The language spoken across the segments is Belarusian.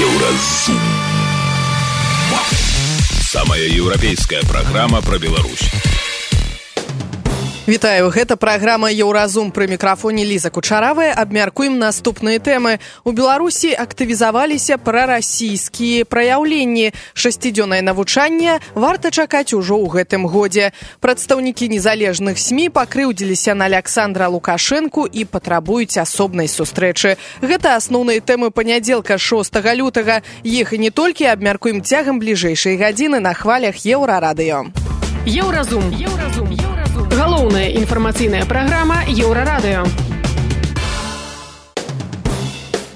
Еўразум. Самая еўрапейская праграма пра Беларусь. Вітаю, гэта праграма «Еўразум». Пры мікрафоне Ліза Кучаравая. Абмяркуем наступныя тэмы. У Беларусі актывізаваліся прарасійскія праяўленні. 6-дзённае навучанне варта чакаць ужо ў гэтым годзе. Прадстаўнікі незалежных СМІ пакрыўдзіліся на Александра Лукашэнку і патрабуюць асобнай сустрэчы. Гэта асноўныя тэмы панядзелка 6 лютага. Іх і не толькі абмяркуем цягам бліжэйшай гадзіны на хвалях Еўрарадыё. Еўразум. Галоўная інфармацыйная праграма Еўрарадыё.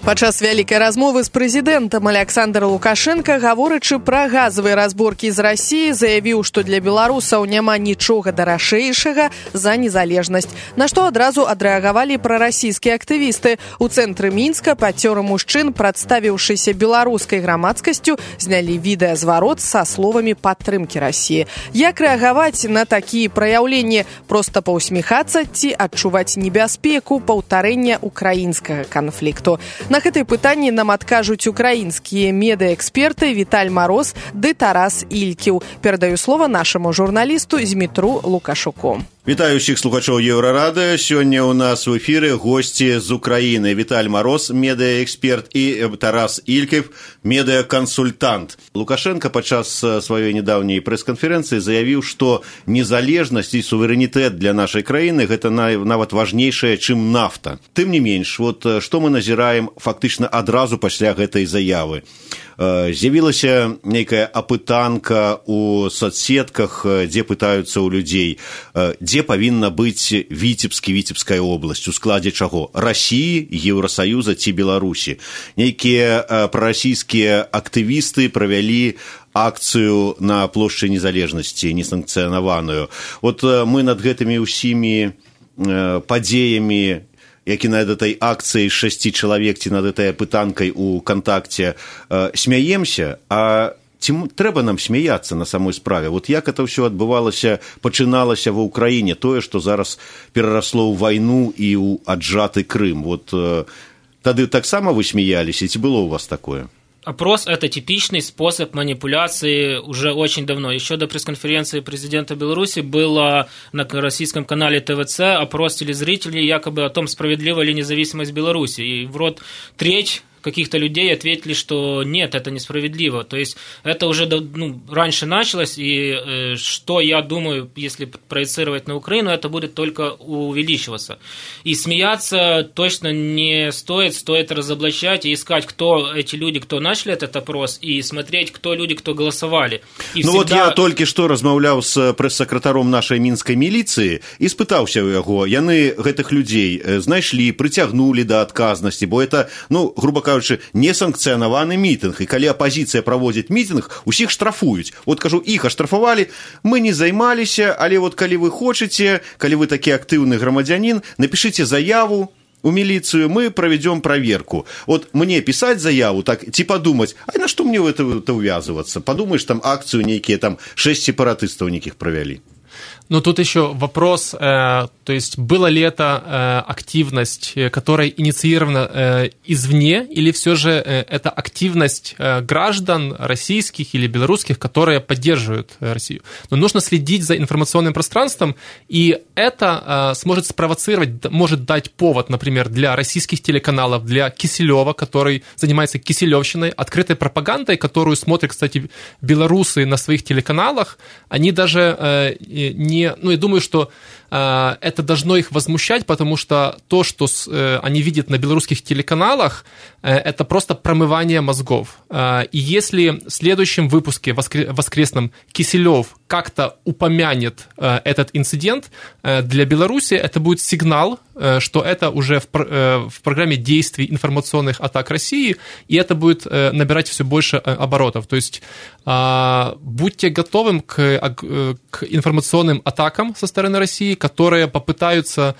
Падчас вялікай размовы з прэзідэнтам Александр Лукашенко, гаворачы пра газавыя разборкі з Расіі, заявіў, што для беларусаў няма нічога даражэйшага за незалежнасць. На што адразу адрэагавалі прарасійскія актывісты. У цэнтры Мінска пацёры мужчын, прадставіўшыся беларускай грамадскасцю, знялі відэазварот са словамі падтрымкі Расіі. Як рэагаваць на такія праяўленні? Проста паўсміхацца ці адчуваць небяспеку паўтарэння украінскага канфлікту? На гэтае пытанне нам адкажуць украінскія медыаэксперты Віталь Мароз ды Тарас Ількіў. Перадаю слова нашаму журналісту Змітру Лукашуку. Вітаю ўсіх слухачоў Еўрарадыё. Сёння ў нас у эфіры госці з Украіны. Віталь Мароз, медыаэксперт, і Тарас Ількіў, медыакансультант. Лукашенко падчас сваёй нядаўняй прэс-канферэнцыі заявіў, што незалежнасць і суверэнітэт для нашай краіны гэта нават важнейшае, чым нафта. Тым не менш, што мы назіраем фактычна адразу пасля гэтай заявы. З'явілася нейкая апытанка ў соцсетках, дзе пытаюцца ў людзей, дзе павінна быць Віцебская обласць, у складзе чаго? Расіі, Еўрасаюза ці Беларусі. Нейкія прарасійскія актывісты правялі акцыю на плошчы незалежнасці, несанкцыянаваную. Мы над гэтымі ўсімі падзеямі, які над этой акцыяй 6 чалавек ці над этой апытанкай у кантакце смяемся, а ці трэба нам смяяцца на самой справе? Як это ўсё адбывалася, пачыналася ва ўкраіне, тое, што зараз перарасло ў вайну і ў аджаты Крым. Тады таксама вы смяяліся, ці было у вас такое? Опрос – это типичный способ манипуляции уже очень давно. Еще до пресс-конференции президента Беларуси было на российском канале ТВЦ опрос телезрителей якобы о том, справедлива ли независимость Беларуси. И треть каких-то людей ответили, что нет, это несправедливо. То есть это уже раньше началось, и что я думаю, если проецировать на Украину, это будет только увеличиваться. И смеяться точно не стоит разоблачать и искать, кто эти люди, кто начали этот опрос, и смотреть, кто люди, кто голосовали. И я только что размаўляў з прэс-сакратаром нашай мінскай міліцыі і спытаўся ў яго, яны гэтых людзей знайшлі, прыцягнулі да адказнасці, бо это, грубо кажучы, несанкцыянаваны мітынг, і калі апазіцыя праводзіць мітынг, усіх штрафуюць. Кажу, іх аштрафавалі, мы не займаліся, але калі вы хочаце, калі вы такі актыўны грамадзянін, напішыце заяву у міліцыю, мы правядзём праверку. Мне пісаць заяву, ці падумаць, а на што мне в это увязываться? Подумаешь, там акцию некие, 6 сепаратыстаў неких провели. Тут еще вопрос, то есть была ли это активность, которая инициирована извне, или все же это активность граждан российских или белорусских, которые поддерживают Россию. Но нужно следить за информационным пространством, и это сможет спровоцировать, может дать повод, например, для российских телеканалов, для Кисилева, который занимается киселевщиной, открытой пропагандой, которую смотрят, кстати, белорусы на своих телеканалах. Они даже я думаю, что это должно их возмущать, потому что то, что они видят на белорусских телеканалах, это просто промывание мозгов. И если в следующем выпуске воскресном Киселев как-то упомянет этот инцидент, для Беларуси это будет сигнал, что это уже в программе действий информационных атак России, и это будет набирать все больше оборотов. То есть будьте готовы к информационным атакам со стороны России, которые попытаются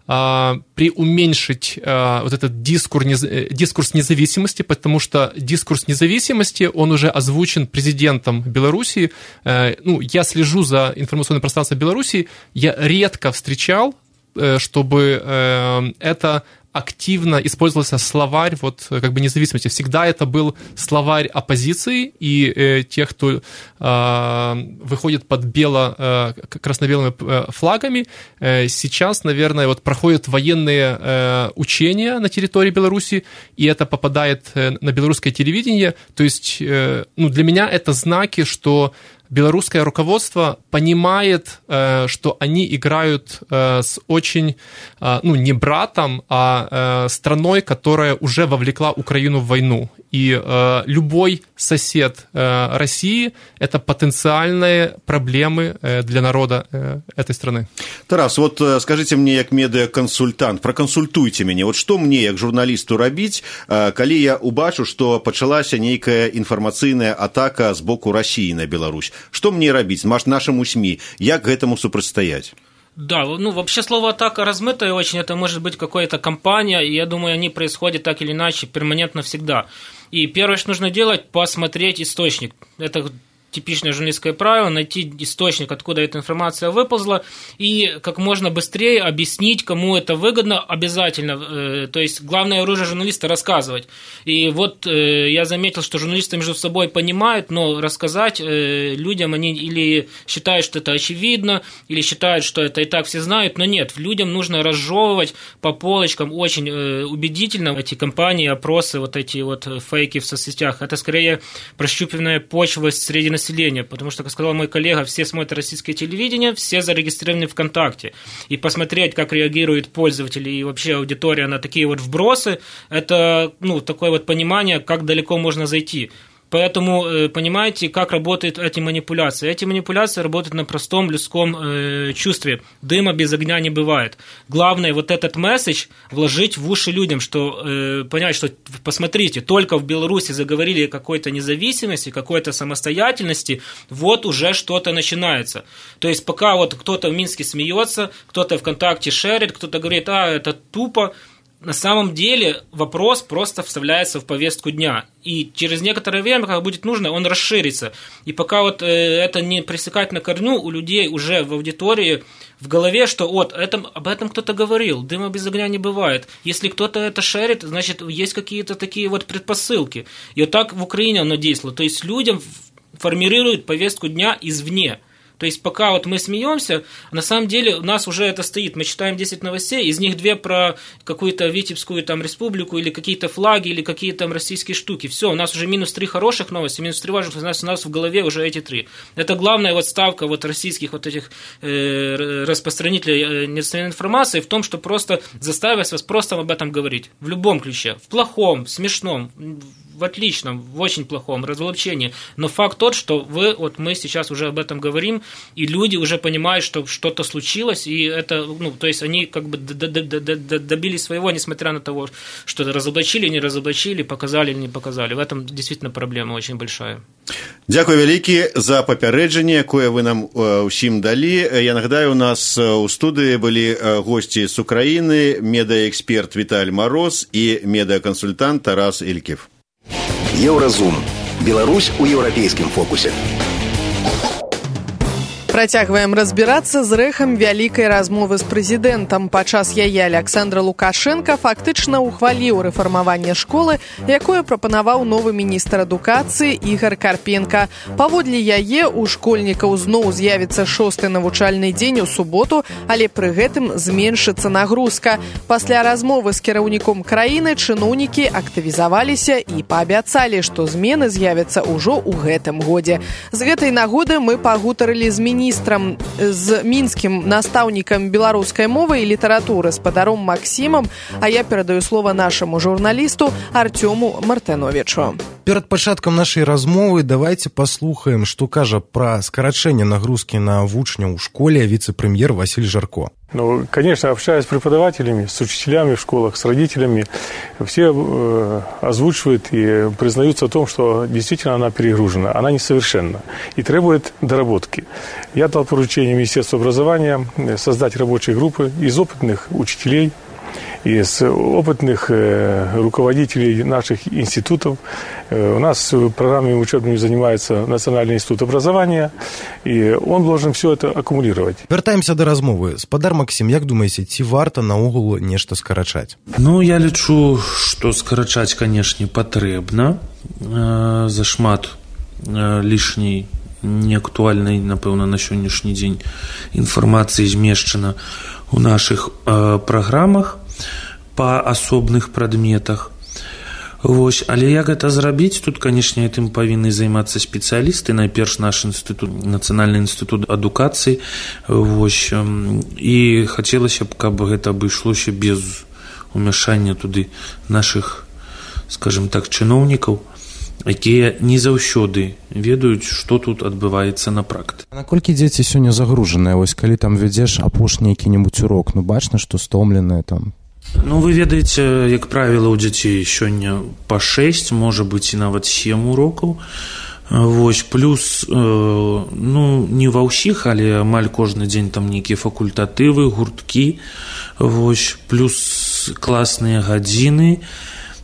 преуменьшить вот этот дискурс независимости, потому что дискурс независимости, он уже озвучен президентом Беларуси. Я слежу за информационным пространством Беларуси, я редко встречал, чтобы это активно использовался словарь вот как бы независимости. Всегда это был словарь оппозиции, и тех, кто выходит под красно-белыми флагами, сейчас, наверное, вот проходят военные учения на территории Беларуси, и это попадает на белорусское телевидение. То есть, для меня это знаки, что белорусское руководство понимает, что они играют с очень, не братом, а страной, которая уже вовлекла Украину в войну. И любой сосед России – это потенциальные проблемы для народа этой страны. Тарас, вот скажите мне, як медыакансультант, пракансультуйте мяне, вот што мне, як журналісту, рабіць, калі я убачу, што пачалася нейкая інфармацыйная атака з боку России на Беларусь? Что мне рабіць нашему СМИ? Як гэтаму супрацьстаять? Да, вообще слово «атака» размытое очень, это может быть какая-то кампания, и я думаю, они происходят так или иначе перманентно всегда. И первое, что нужно делать, посмотреть источник. Это типичное журналистское правило, найти источник, откуда эта информация выползла, и как можно быстрее объяснить, кому это выгодно, обязательно. То есть главное оружие журналиста – рассказывать. И вот я заметил, что журналисты между собой понимают, но рассказать людям они или считают, что это очевидно, или считают, что это и так все знают, но нет, людям нужно разжевывать по полочкам очень убедительно эти кампании, опросы, вот эти вот фейки в соцсетях. Это скорее прощупывание почвы среди населения, потому что, как сказал мой коллега, все смотрят российское телевидение, все зарегистрированы ВКонтакте. И посмотреть, как реагируют пользователи и вообще аудитория на такие вот вбросы, это такое вот понимание, как далеко можно зайти. Поэтому понимаете, как работают эти манипуляции. Эти манипуляции работают на простом людском чувстве. Дыма без огня не бывает. Главное вот этот месседж вложить в уши людям, что понять, что посмотрите, только в Беларуси заговорили о какой-то независимости, какой-то самостоятельности, вот уже что-то начинается. То есть пока вот кто-то в Минске смеется, кто-то ВКонтакте шерит, кто-то говорит, это тупо, на самом деле вопрос просто вставляется в повестку дня. И через некоторое время, когда будет нужно, он расширится. И пока вот это не пресекать на корню, у людей уже в аудитории в голове, что об этом кто-то говорил, дыма без огня не бывает. Если кто-то это шерит, значит, есть какие-то такие вот предпосылки. И вот так в Украине оно действовало. То есть людям формируют повестку дня извне. То есть пока вот мы смеемся, на самом деле у нас уже это стоит. Мы читаем 10 новостей, из них 2 про какую-то Витебскую там республику или какие-то флаги, или какие-то там российские штуки. Все, у нас уже минус 3 хороших новости, минус 3 важных, у нас в голове уже эти 3. Это главная вот ставка вот российских вот этих распространителей недостоверной информации в том, что просто заставить вас просто об этом говорить. В любом ключе. В плохом, в смешном, в отличном, в очень плохом разоблачении. Но факт тот, что мы сейчас уже об этом говорим, и люди уже понимают, что что-то случилось, и это, то есть они как бы добились своего, несмотря на то, что разоблачили, не разоблачили, показали или не показали. В этом действительно проблема очень большая. Дякую вялікі за папярэджанне, якое вы нам усім далі. Я нагадаю, у нас у студыі былі госці з Украіны, медыаэксперт Віталь Мароз і медыакансультант Тарас Ільків. Еўразум. Беларусь у еўрапейскім фокусе. Працягваем разбірацца з рэхам вялікай размовы з прэзідэнтам. Падчас яе Александр Лукашенко фактычна ухваліў рэфармаванне школы, якое прапанаваў новы міністр адукацыі Ігор Карпенка. Паводле яе у школьнікаў зноў з'явіцца 6-й навучальны дзень у суботу, але пры гэтым зменшыцца нагрузка. Пасля размовы з кіраўніком краіны чыноўнікі актывізаваліся і паабяцалі, што змены з'явяцца ўжо ў гэтым годзе. З гэтай нагоды мы пагутарылі з міністрам, з мінскім настаўнікам беларускай мовы і літаратуры спадаром Максімам, а я перадаю слова нашаму журналісту Артёму Мартыновічу. Перад пачаткам нашай размовы давайте паслухаем, што кажа пра скарачэнне нагрузкі на вучняў у школе віцэ-прэм'ер Василь Жарко. Конечно, общаясь с преподавателями, с учителями в школах, с родителями, все озвучивают и признаются в том, что действительно она перегружена, она несовершенна и требует доработки. Я дал поручение Министерству образования создать рабочие группы из опытных учителей из опытных руководителей наших институтов. У нас программами учебными занимается Национальный институт образования, и он должен все это аккумулировать. Вяртаемся до размовы. Спадар Максим, як думаеце, ці варта наогул нешта скарачаць? Ну, я лічу, што скарачаць, канешне, патрэбна. Зашмат лішняй, неактуальнай, напэўна, на сённяшні дзень інфармацыі змешчана ў нашых праграмах па асобных прадметах. Вось, але як гэта зрабіць? Тут, канешне, гэтым павінны займацца спецыялісты, найперш наш інстытут, Нацыянальны інстытут адукацыі. Вось, і хацелася б, каб гэта абышлося без умяшання туды нашых, скажем так, чыноўнікаў, якія не заўсёды ведаюць, што тут адбываецца на практыцы. Наколькі дзеці сёння загружаныя? Вось калі там вядзеш апошні які-небудзь урок, ну бачна, што стомленыя там. Ну, вы ведаеце, як правіла, у дзяцей сёння па 6, можа быць і нават 7 урокаў. Вось, плюс, ну, не ва ўсіх, але амаль кожны дзень там нейкія факультатывы, гурткі, вось, плюс класныя гадзіны.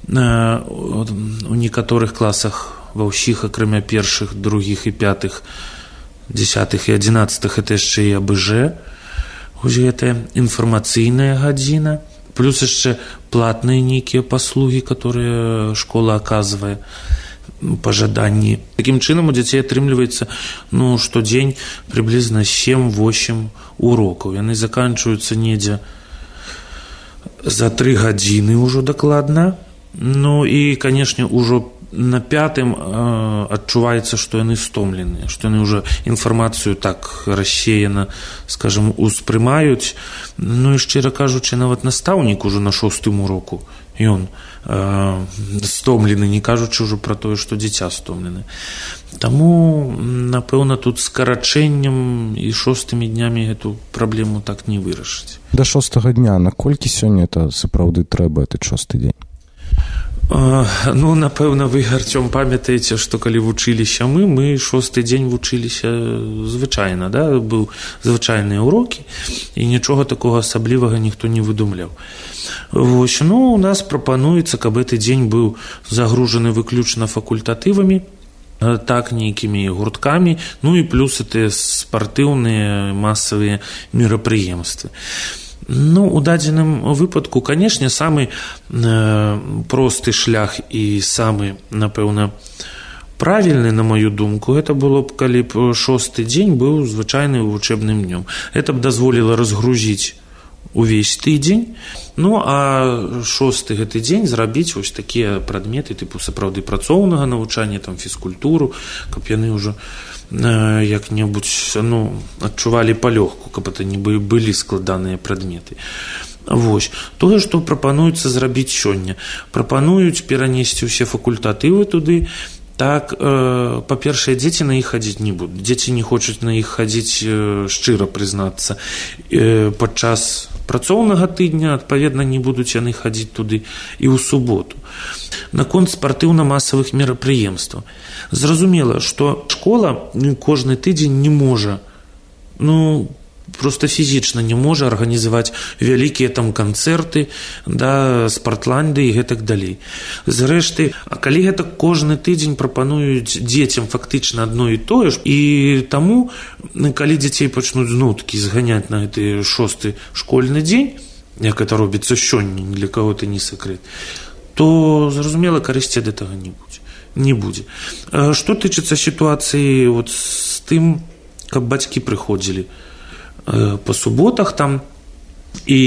У некаторых класах, ва ўсіх, акрамя першых, другіх і пятых, 10-х і 11-х, это яшчэ і АБЖ, вось гэтая інфармацыйная гадзіна. Плюс яшчэ платныя нейкія паслугі, которые школа аказвае па жаданні. Такім чынам у дзяцей атрымліваецца, ну, штодзень прыблізна 7-8 урокаў. Яны заканчваюцца недзе за 3 гадзіны ўжо дакладна. Ну і, канешне, ўжо на 5-м адчуваецца, што яны стомленыя, што яны ўжо інфармацыю так рассеяна, скажем, успрымаюць. Ну і, шчыра кажучы, нават настаўнік ужо на 6-м уроку, ён стомлены, не кажучы ўжо пра тое, што дзіця стомлены. Таму, напэўна, тут скарачэннем і 6-мі днямі гэту праблему так не вырашыць. Да 6-го дня, наколькі сёння это сапраўды трэба, этот 6-й дзень? Ну, напэўна, вы, Артём, памятаеце, што калі вучыліся мы 6-й дзень вучыліся звычайна, да? Быў звычайныя урокі, і нічога такога асаблівага ніхто не выдумляў. Вось, ну, у нас прапануецца, каб гэты дзень быў загружаны выключна факультатывамі, так, нейкімі гурткамі, ну і плюс гэтыя спартыўныя масавыя мерапрыемствы. Ну, у дадзеным выпадку, канешне, самы просты шлях і самы, напэўна, правільны, на маю думку, гэта было б, калі б 6-й дзень быў звычайным вучэбным днём. Гэта б дазволіла разгрузіць увесь тыдзень, ну, а 6-й гэты дзень зрабіць вось такія прадметы, тыпу сапраўды працоўнага навучання, там, фізкультуру, каб яны ўжо як-небудзь, ну, адчувалі палёгку, каб это не былі складаныя прадметы. Вось. Тое, што прапануецца зрабіць сёння. Прапануюць перанесці ўсе факультатывы туды. Так, па-першае, дзеці на іх хадзіць не будуць. Дзеці не хочуць на іх хадзіць, шчыра прызнацца. Падчас працоўнага тыдня, адпаведна, не будуць яны хадзіць туды і ў суботу. Наконт спартыўна-масавых мерапрыемстваў. Зразумела, што школа кожны тыдзень не можа, ну, просто фізічна не можа арганізаваць вялікія там канцэрты, да, спартланды і гэтак далей. Зрэшты, а калі гэта кожны тыдзень прапануюць дзецям фактычна адно і тое ж, і таму, калі дзяцей пачнуць знуткі зганяць на гэты 6-й школьны дзень, як это робіцца сёння, ні для каго это не сакрэт, то, зразумела, карысці ад гэтага не будзе. Што тычыцца сітуацыі вот з тым, каб бацькі прыходзілі па суботах там і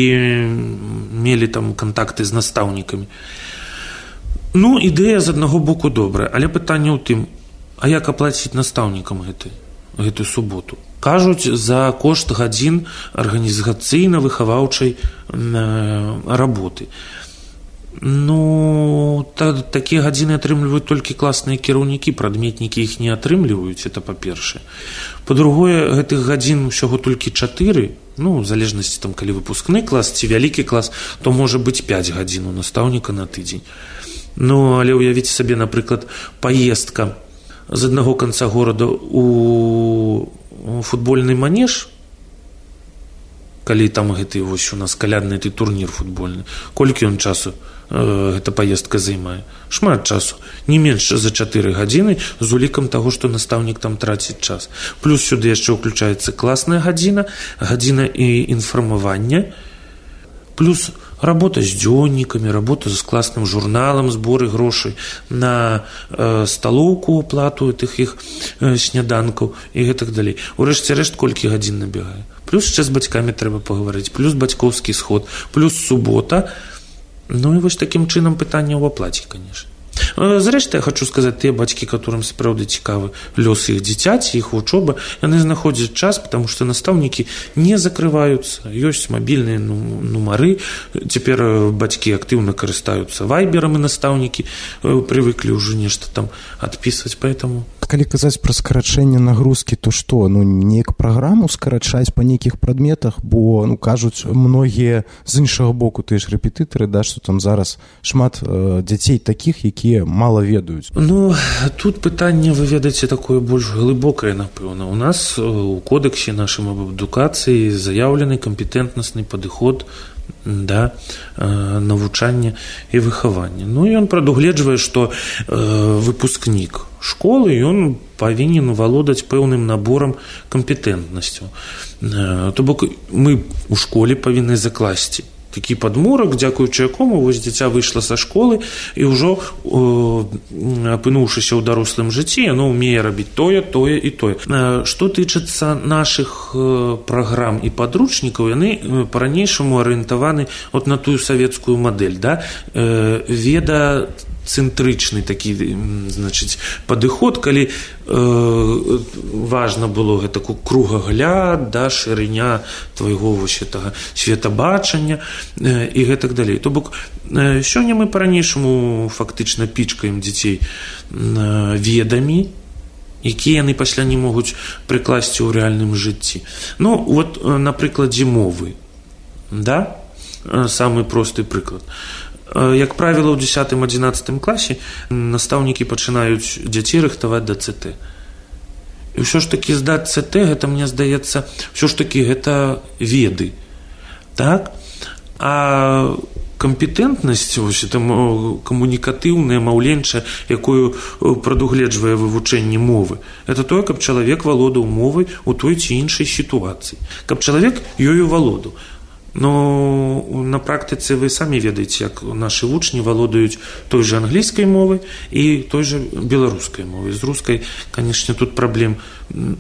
мелі там кантакты з настаўнікамі. Ну, ідэя з аднаго боку добрая, але пытанне ў тым, а як аплаціць настаўнікам гэтую суботу? Кажуць, за кошт гадзін арганізацыйна-выхаваўчай работы. Ну, такія гадзіны атрымліваюць толькі класныя кіраўнікі, прадметнікі іх не атрымліваюць, это па-першае. Па-другое, гэтых гадзін усяго толькі 4, ну, в залежнасці, там, калі выпускны клас ці вялікі клас, то можа быць 5 гадзін у настаўніка на тыдзень. Ну, але уявіце сабе, напрыклад, паездка з аднаго канца горада у футбольны манеж, калі там гэты вось у нас калядны ты турнір футбольны, колькі ён часу гэта паездка займае? Шмат часу, не менш за 4 гадзіны з улікам таго, што настаўнік там траціць час. Плюс сюды яшчэ ўключаецца класная гадзіна, гадзіна і інфармавання, плюс работа з дзённікамі, работа з класным журналам, зборы грошай на сталоўку, аплату тых іх сняданкаў і гэтак далей. Урэшце рэшт, колькі гадзін набегае. Плюс яшчэ з бацькамі трэба пагаварыць, плюс бацькоўскі сход, плюс субота. Ну і вось такім чынам пытанне ў аплаце, конечно. Зрэшты, я хочу сказаць, тыя бацькі, которым сапраўды цікавы лёс іх дзіцяці, іх вучоба, яны знаходзяць час, потому што настаўнікі не закрываюцца, ёсць мабільныя нумары, цяпер бацькі актыўна карыстаюцца вайберам, і настаўнікі прывыклі ўжо нешта там адпісваць, поэтому... Калі казаць пра скарачэнне нагрузкі, то што, неяк праграму скарачаць па нейкіх прадметах, бо, кажуць многія з іншага боку, тыя ж рэпетытары, да, што там зараз шмат дзяцей такіх, якія мала ведаюць. Тут пытанне, вы ведаеце, такое больш глыбокае, напэўна. У нас у кодексе нашым аб адукацыі заяўлены кампетэнтнасны падыход да навучання і выхавання. Ён прадугледжвае, што выпускнік школы, ён павінен валодаць пэўным наборам кампетэнтнасцяў. То бок мы ў школе павінны закласці такі падмурак, дзякуючы якому вось дзіця выйшла са школы і ўжо апынуўшыся ў дарослым жыцці, яно ўмее рабіць тое і тое. Што тычыцца нашых праграм і падручнікаў, яны па-ранейшаму арыентаваны от на тую савецкую мадэль, да? Ведацэнтрычны такі, значыць, падыход, калі важна было гэта кругагляд, да, шырыня твайго вось гэтага светабачання і гэтак далей. То бок сёння мы па-ранейшаму фактычна пічкаем дзяцей ведамі, якія яны пасля не могуць прыкласці ў рэальным жыцці. Вот на прыкладзе мовы, да? Самы просты прыклад. Як правіла, ў 10-11 класе настаўнікі пачынаюць дзяцей рыхтаваць да ЦТ. І ўсё ж такі здаць ЦТ, гэта, мне здаецца, ўсё ж такі гэта веды. Так? А кампетэнтнасць, камунікатыўная, маўленчая, якую прадугледжвае вывучэнне мовы, это тое, каб чалавек валодаў мовай у той ці іншай сітуацыі. Каб чалавек ёю валодаў. На практыцы вы самі ведаеце, як нашы вучні валодаюць той же англійскай мовай і той же беларускай мовай. З рускай, канешне, тут праблем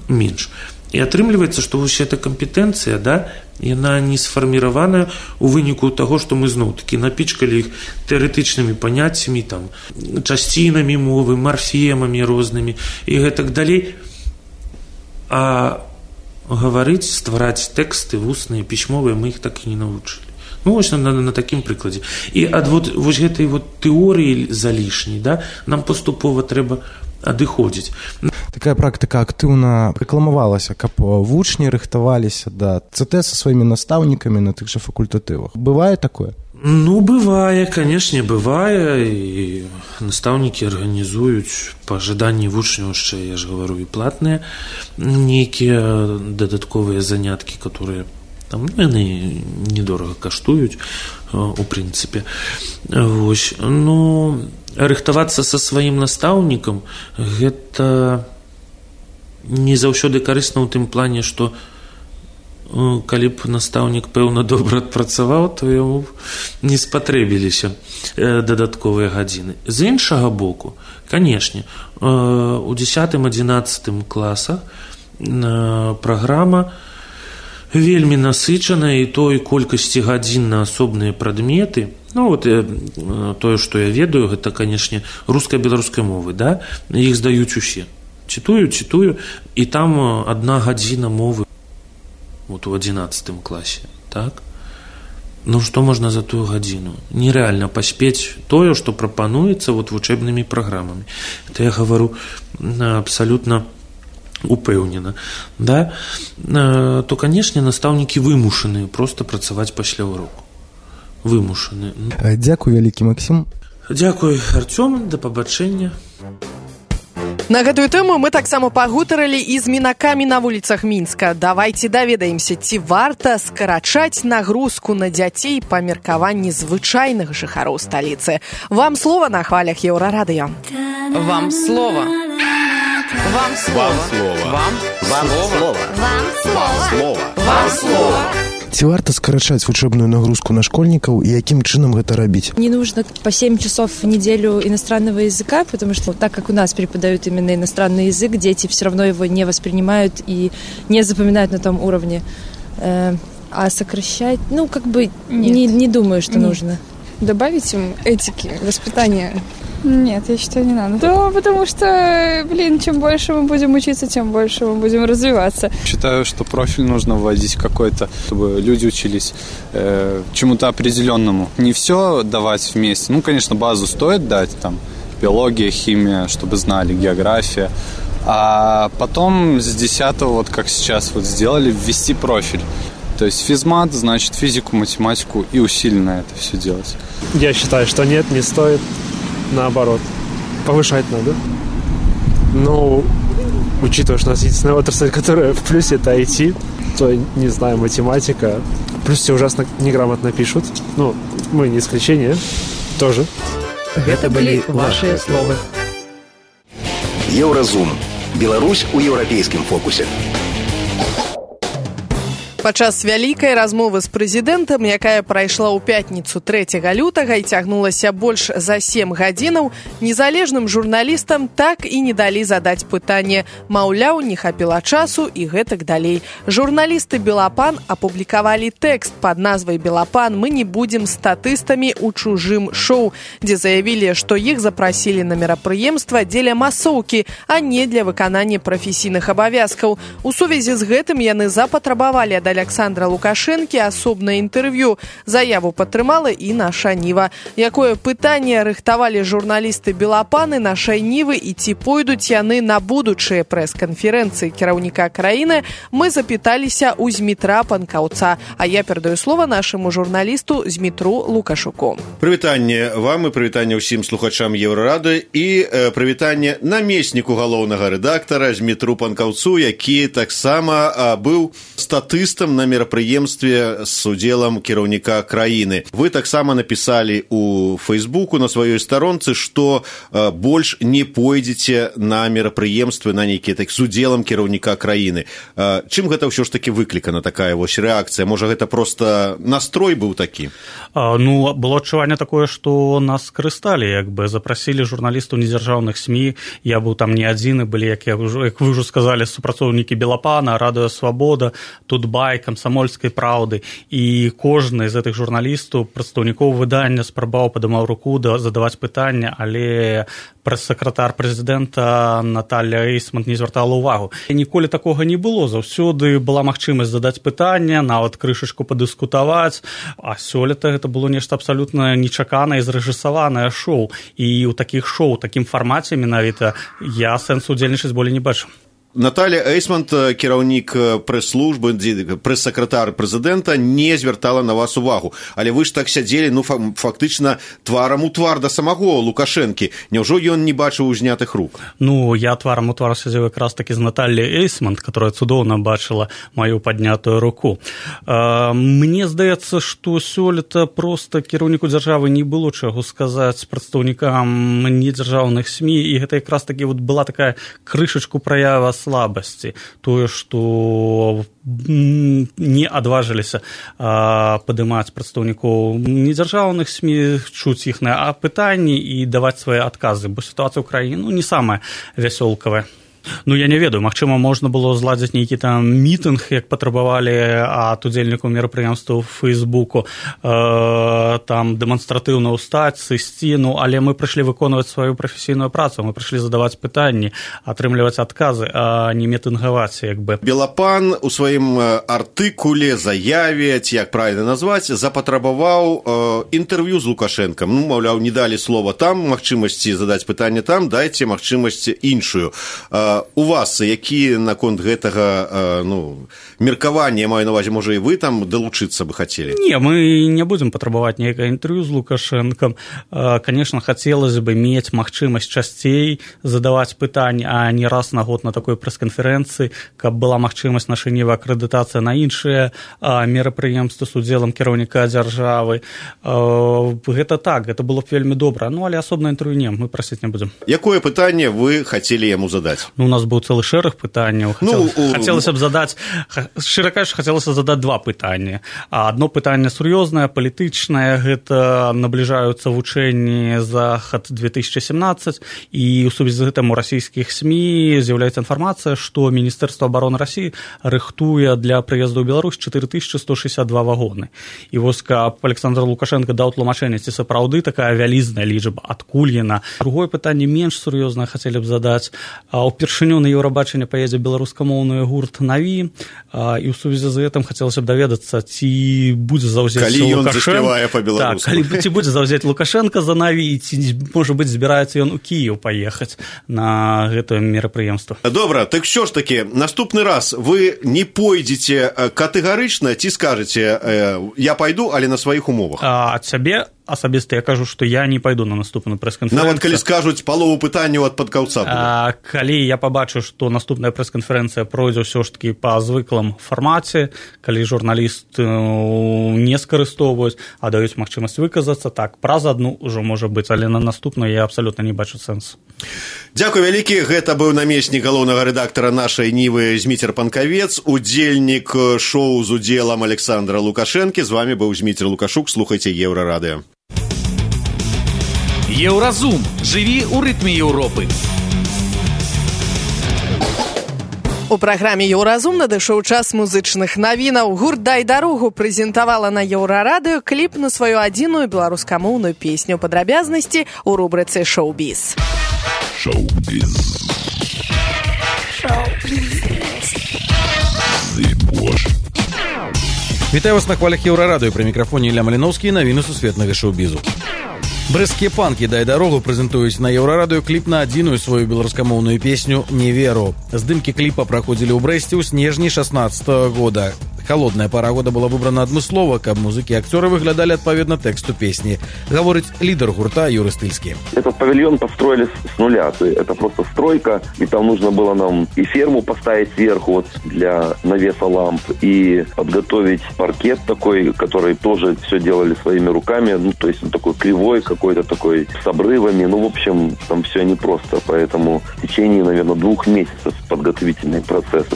менш. І атрымліваецца, што вось эта кампетэнцыя, да, яна не сфарміраваная ў выніку таго, што мы зноў-такі напічкалі іх тэарэтычнымі паняццямі, там, часцінамі мовы, марфемамі рознымі і гэтак далей. А гаварыць, ствараць тэксты вусныя, пісьмовыя, мы іх так і не навучылі. Вось на такім прыкладзе. І ад вось гэтай тэорыі залішняй, да, нам паступова трэба адыходзіць. Такая практыка актыўна рэкламавалася, каб вучні рыхтаваліся да ЦТ са сваімі настаўнікамі на тых жа факультатывах. Бывае такое? Бывае, канешне, бывае, і настаўнікі арганізуюць па жаданні вучняў яшчэ, я ж гавару, і платныя нейкія дадатковыя заняткі, которые там, яны недорага каштуюць, у прынцыпе. Вось, рыхтавацца са сваім настаўнікам, гэта не заўсёды карысна ў тым плане, што калі б настаўнік, пэўна, добра адпрацаваў, то яму не спатрэбіліся дадатковыя гадзіны. З іншага боку, канешне, у 10-11 класах праграма вельмі насычаная, і той колькасці гадзін на асобныя прадметы, тое, што я ведаю, гэта, канешне, руска-беларускай мовы, да? Іх здаюць усе. Чытую, і там 1 гадзіна мовы у 11 класе, так? Што можна за тую гадзіну? Нерэальна паспець тое, што прапануецца вучэбнымі праграмамі. Это я гавару абсалютна упэўнена, да? То, канешне, настаўнікі вымушаны проста працаваць пасля уроку. Вымушаны. Дзякуй, вялікі Максім. Дзякуй, Арцём, да пабачэння. На гэтую тэму мы таксама пагутарылі і з мінакамі на вуліцах Мінска. Давайце даведаемся, ці варта скарачаць нагрузку на дзяцей па меркаванні звычайных жыхароў сталіцы. Вам слова на хвалях Еўрарадыё. Вам слова. Вам слова. Вам слова. Вам слова. Вам слова. Ці варта скарачаць вучэбную нагрузку на школьнікаў і якім чынам гэта рабіць? Не нужно по 7 часов в неделю иностранного языка, потому что так как у нас преподают именно иностранный язык, дети все равно его не воспринимают и не запоминают на том уровне. А сокращать, не думаю, что нужно. Добавить им этики, воспитания? Нет, я считаю, не надо. Да, потому что, чем больше мы будем учиться, тем больше мы будем развиваться. Считаю, что профиль нужно вводить какой-то, чтобы люди учились чему-то определенному. Не все давать вместе. Конечно, базу стоит дать, там, биология, химия, чтобы знали, география. А потом с 10-го, вот как сейчас вот сделали, ввести профиль. То есть физмат, значит, физику, математику и усиленно это все делать. Я считаю, что нет, не стоит. Наоборот, повышать надо. Но, учитывая, что у нас единственная отрасль, которая в плюсе, это IT, то, не знаю, математика. Плюс все ужасно неграмотно пишут. Мы не исключение. Тоже. Это были ваши слова. Еўразум. Беларусь у еўрапейскім фокусе. Падчас вялікай размовы з прэзідэнтам, якая прайшла ў пятніцу 3 лютага і цягнулася больш за 7 гадзінаў, незалежным журналістам так і не далі задаць пытанне. Маўляў, не хапіла часу і гэтак далей. Журналісты «Белапан» апублікавалі тэкст пад назвай «Белапан. Мы не будзем статыстамі ў чужым шоу», дзе заявілі, што іх запрасілі на мерапрыемства дзеля масоўкі, а не для выканання прафесійных абавязкаў. У сувязі з гэтым яны запатрабавалі ад Александра Лукашэнкі асобнае інтэрв'ю. Заяву падтрымала і наша Ніва. Якое пытанне рыхтавалі журналісты «Белапаны» нашай Нівы і ці пойдуць яны на будучыя прэс-канферэнцыі кіраўніка краіны, мы запыталіся ў Змітра Панкаўца. А я перадаю слова нашаму журналісту Змітру Лукашуку. Прывітанне вам і прывітанне ўсім слухачам Еўрарады і прывітанне намесніку галоўнага рэдактара Змітру Панкаўцу, які таксама быў статыстам на мерапрыемстве з удзелам кіраўніка краіны. Вы таксама напісалі у Фейсбуку на сваёй старонцы, што больш не пойдзеце на мерапрыемствы на нейкія з удзелам кіраўніка краіны. Чым гэта ўсё ж такі выклікана, такая вось рэакцыя? Можа, гэта проста настрой быў такі? Было адчуванне такое, што нас скарысталі, запрасілі журналістаў недзяржаўных СМІ. Я быў там не адзін, і былі, як вы ўжо сказалі, супрацоўнікі «Белапана», «Радыё Свабода», «Тутбай», «Камсамольскай праўды», і кожны з гэтых журналістаў, прадстаўнікоў выдання спрабаваў, падымаў руку задаваць пытанне, але прэс-сакратар прэзідэнта Наталья Эйсман не звяртала ўвагу. Ніколі такога не было, заўсёды была магчымасць задаць пытанне, нават крышачку падыскутаваць, а сёлета гэта было нешта абсалютна нечаканае і зрэжысаванае шоу. І ў такіх шоу, такім фармаце менавіта, я сэнсу удзельнічаць болей не бачу. Наталья Эйсман, кіраўнік прэс-службы, прэс-сакратар прэзідэнта, не звяртала на вас увагу. Але вы ж так сядзелі, фактычна тварам у твар да самого Лукашэнкі. Няўжо ён не бачыў узнятых рук? Я тварам у твар сядзеў якраз такі з Натальяй Эйсман, которая цудоўна бачыла маю паднятую руку. Мне здаецца, што сёлета проста кіраўніку дзяржавы не было чаго сказаць прадстаўнікам недзяржаўных СМІ, і гэта якраз такі была такая крышачку праява слабасці, тое, што не адважыліся падымаць прадстаўнікоў недзяржаўных СМІ, чуць іхныя пытанні і даваць свае адказы, бо сітуацыя ў краіне не самая вясёлкавая. Я не ведаю, магчыма, можна было зладзіць нейкі там мітынг, як патрабавалі ад удзельнікаў мерапрыемства ў Фейсбуку, там дэманстратыўна ўстаць, сысці, але мы прыйшлі выконваць сваю прафесійную працу, мы прыйшлі задаваць пытанні, атрымліваць адказы, а не мітынгаваць, Белапан у сваім артыкуле, заяве, ці як правільна назваць, запатрабаваў інтэрв'ю з Лукашэнкам. Маўляў, не далі слова там, магчымасці задаць пытанне там, дайце магчымасць іншую. у вас які наконт гэтага меркавання, маю на увазе, можа і вы там далучыцца бы хацелі? Не, мы не будем патрабаваць некае інтэрв'ю з Лукашенком. Конечно, хотелось бы иметь магчымасць часцей задаваць пытанні, а не раз на год на такой прэс-канферэнцыі, каб была магчымасць нашынівая акрэдытацыя на іншыя мерапрыемствы з удзелам кіраўніка дзяржавы. Гэта так, гэта было б вельмі добра. Але асобна інтэрв'ю не, мы прасіць не будзем. Якое пытанне вы хацелі яму задаць? У нас быў цэлы шэраг пытанняў. Хацелася б задаць, шчыра кажучы, хацелася задаць два пытанні. Адно пытанне сур'ёзнае, палітычнае, гэта набліжаюцца вучэнні Захад-2017, і ў сувязі з гэтым у расійскіх СМІ з'яўляецца інфармацыя, што Міністэрства абароны Расіі рыхтуе для прыезду ў Беларусь 4162 вагоны. І вось каб Александр Лукашенко даў тлумачэнне, ці сапраўды такая вялізная лічба, адкуль яна. Другое пытанне менш сур'ёзнае хацелі б задаць. Упершыню на Еўрабачанне паедзе беларускамоўны гурт «Наві», і ў сувязі з гэтым хацелася б даведацца, ці будзе заўзець Лукашенко. Ці будзе заўзець Лукашенко за «Наві», ці, можа быць, збіраецца ён у Кіеў паехаць на гэтае мерапрыемства. Добра, так що ж таки, наступны раз вы не пойдзеце катэгарычна, ці скажаце, я пайду, але на сваіх умовах? Ад сябе асабіста я кажу, што я не пайду на наступную прэс-канферэнцыю. Нават калі скажуць палову пытанняў ад падкаўца будзе. Калі я пабачу, што наступная прэс-канферэнцыя пройдзе ўсё ж такі па звыклым фармаце, калі журналіст не скарыстоўваюць, а даюць магчымасць выказацца, так, праз адну ўжо можа быць, але на наступную я абсалютна не бачу сэнсу. Дзякуй вялікі, гэта быў намеснік галоўнага рэдактара нашай Нівы Зміцер Панкавец, удзельнік шоу з удзелам Александра Лукашэнкі. З вами быў Зміцер Лукашук, слухайце Еўрарадыё. Еўразум. Жыві ў рытме Еўропы. У праграме «Еўразум» надышоў час музычных навінаў. Гурт «Дай дарогу» прэзентавала на Еўрарадыё кліп на сваю адзіную беларускамоўную песню. Падрабязнасці ў рубрыцы «Шоу-біз». Шоу-біз. Вітаю вас на хвалях Еўрарадыё. Пры мікрафоне Ілля Маліноўскі, навіны сусветнага шоу-бізу. Брэсцкія панкі «Дай дарогу» прэзентуюць на Еўрарадыё кліп на адзіную сваю беларускамоўную песню «Не веру». Здымкі кліпа праходзілі ў Брэсце ў снежні 16-го года. Холодная пора года была выбрана адмыслова, каб музыкі і акцёры выглядалі адпаведна тэксту песні. Гаворыць лідар гурта Юры Стыльскі. Этот павильон построили с нуля. Это просто стройка, и там нужно было нам и ферму поставить сверху вот для навеса ламп, и подготовить паркет такой, который тоже все делали своими руками. Ну, то есть он такой кривой, какой-то такой с обрывами. Ну, в общем, там все непросто. Поэтому в течение, наверное, 2 месяцев подготовительный процесс.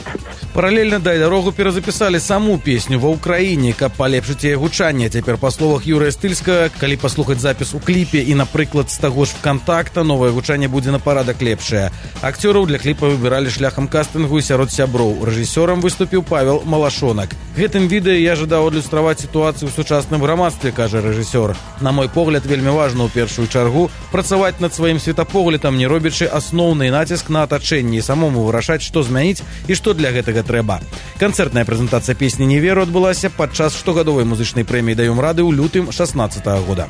Паралельна «Дай дарогу» перазапісалі саму песню ва ўкраіне, каб палепшыць яе гучанне. Цяпер, па словах Юрыя Стыльскага, калі паслухаць запіс у кліпе і, напрыклад, з таго ж «ВКонтакта», новае гучанне будзе на парадак лепшае. Акцёраў для кліпа выбіралі шляхам кастынгу і сярод сяброў. Рэжысёрам выступіў Павел Малашонак. Гэтым відэа я жадаў адлюстраваць сітуацыю ў сучасным грамадстве, кажа рэжысёр. На мой погляд, вельмі важна ў першую чаргу працаваць над сваім светапоглядам, не робячы асноўны націск на атачэнне і самому вырашаць, што змяніць і што для гэтага трэба. Канцэртная прэзентацыя песні «Не веру» адбылася падчас штогадовай музычнай прэміі «Даём рады» ў лютым 16-го года.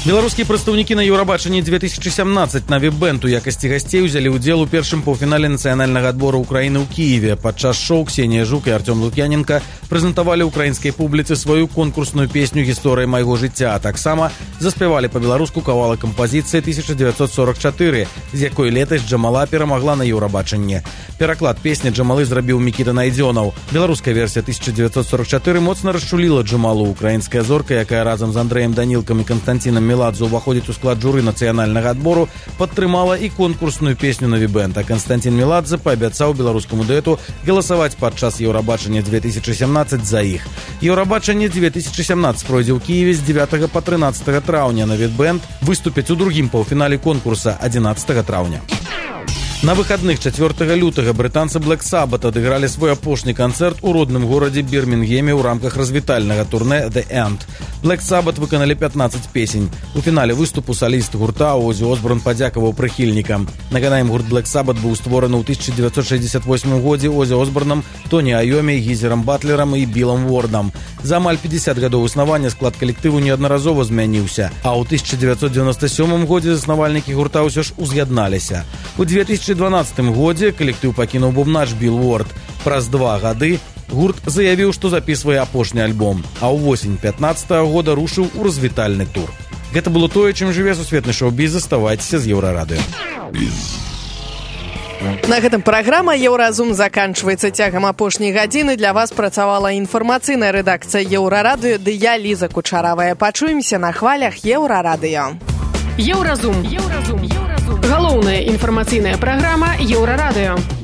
Беларускія прадстаўнікі на Еўрабачанні 2017 на веб-бэнд у якасці гасцей узялі ўдзел у першым паўфінале нацыянальнага адбору Украіны ў Кіеве. Падчас шоу Ксенія Жук і Артём Лук'яненка прэзентавалі ўкраінскай публіцы сваю конкурсную песню «Гісторыя майго жыцця», а таксама заспявалі па-беларуску кавалак кампазіцыі 1944, з якой летась Джамала перамагла на Еўрабачанні. Пераклад песні Джамалы зрабіў Мікіта Найдзёнаў. Беларуская версія 1944 моцна расчуліла Джамалу. Украінская зорка, якая разам з Андрэем Данілкам і Канстанцінам Меладзе ўваходзіць у склад журы нацыянальнага адбору, падтрымала і конкурсную песню на веб-бэнд. А Канстанцін Меладзе паабяцаў беларускаму дуэту галасаваць падчас Еўрабачання 2017 за іх. Еўрабачанне 2017 пройдзе ў Кіеве з 9 па 13 траўня. На веб-бэнд выступяць у другім паўфінале конкурса 11 траўня. На выходных 4 лютага брытанцы Black Sabbath адыгралі свой апошні канцэрт у родным горадзе Бірмінгеме ў рамках развітальнага турнэ The End. Black Sabbath выканалі 15 песень. У фінале выступу саліст гурта Озі Осборн падзякаваў прыхільнікам. Нагадаем, гурт Black Sabbath быў створаны ў 1968 годзе Озі Осборнам, Тоні Айомі, Гізерам Батлерам і Білам Вордам. За амаль 50 гадоў існавання склад калектыву неаднаразова змяніўся, а ў 1997 годзе заснавальнікі гурта ўсё ж уз'ядналіся. У 2017 2012 годзе калектыў пакінуў бубнач Билл Уорд. Праз 2 гады гурт заявіў, што запісвае апошні альбом, а ўвосень 15-го года рушыў у развітальны тур. Гэта было тое, чым жыве сусветны шоу-біз. Заставайцеся з Еўрарадыё. На гэтым праграма «Еўразум» заканчваецца. Цягам апошняй гадзіны для вас працавала інфармацыйная рэдакцыя Еўрарадыё ды я, Ліза Кучаравая. Пачуемся на хвалях Еўрарадыё. Еўразум. Галоўная інфармацыйная праграма Еўрарадыё.